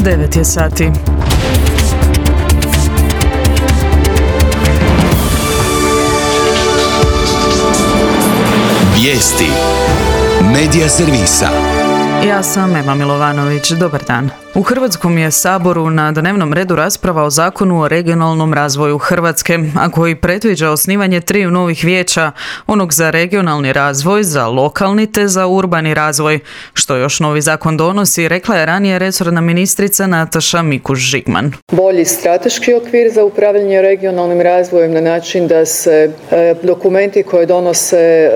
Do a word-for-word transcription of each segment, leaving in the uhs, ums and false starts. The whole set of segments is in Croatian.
devet je sati. Vijesti Medija servisa. Ja sam Ema Milovanović, dobar dan. U Hrvatskom je Saboru na dnevnom redu rasprava o Zakonu o regionalnom razvoju Hrvatske, a koji predviđa osnivanje triju novih vijeća, onog za regionalni razvoj, za lokalni te za urbani razvoj. Što još novi zakon donosi, rekla je ranije resorna ministrica Nataša Mikuš-Žigman. Bolji strateški okvir za upravljanje regionalnim razvojem na način da se e, dokumenti koje donose e,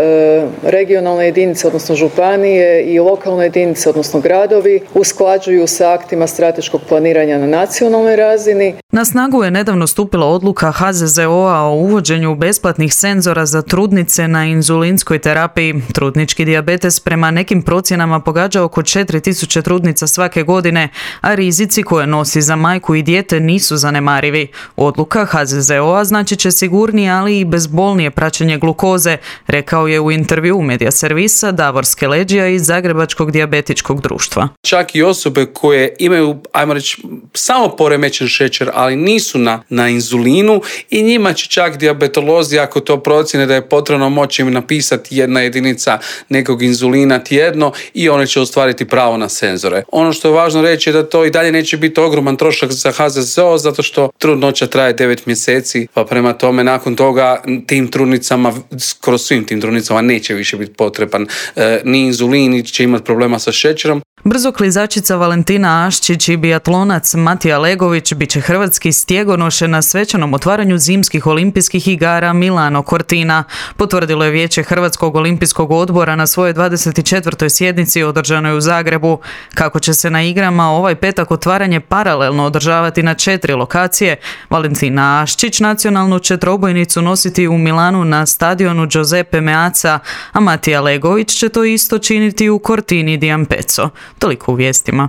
regionalne jedinice, odnosno županije i lokalne jedinice, odnosno gradovi, usklađuju sa aktima strateškog planiranja na nacionalnoj razini. Na snagu je nedavno stupila odluka H Z Z O-a o uvođenju besplatnih senzora za trudnice na inzulinskoj terapiji. Trudnički dijabetes prema nekim procjenama pogađa oko četiri tisuće trudnica svake godine, a rizici koje nosi za majku i dijete nisu zanemarivi. Odluka H Z Z O-a znači će sigurnije, ali i bezbolnije praćenje glukoze, rekao je u intervju Medija servisa Davor Skeleđija iz Zagrebačkog dijabetičkog društva. Čak i osobe koje imaju, ajmo reći, samo poremećen šećer, ali nisu na, na inzulinu, i njima će čak dijabetolozi, ako to procjene da je potrebno, moći im napisati jedna jedinica nekog inzulina tjedno i one će ostvariti pravo na senzore. Ono što je važno reći je da to i dalje neće biti ogroman trošak za H Z Z O, zato što trudnoća traje devet mjeseci, pa prema tome nakon toga tim trudnicama, skoro svim tim trudnicama neće više biti potreban e, ni inzulin, ni će imati problema sa šećerom. Brzoklizačica Valentina Aščić i biatlonac Matija Legović bit će hrvatski stjegonoše na svečanom otvaranju zimskih olimpijskih igara Milano Cortina. Potvrdilo je Vijeće Hrvatskog olimpijskog odbora na svojoj dvadeset četvrtoj sjednici održanoj u Zagrebu. Kako će se na igrama ovaj petak otvaranje paralelno održavati na četiri lokacije, Valentina Aščić nacionalnu će trobojnicu nositi u Milanu na stadionu Giuseppe Meazza, a Matija Legović će to isto činiti u Cortini di Ampezzo. Toliko u vijestima.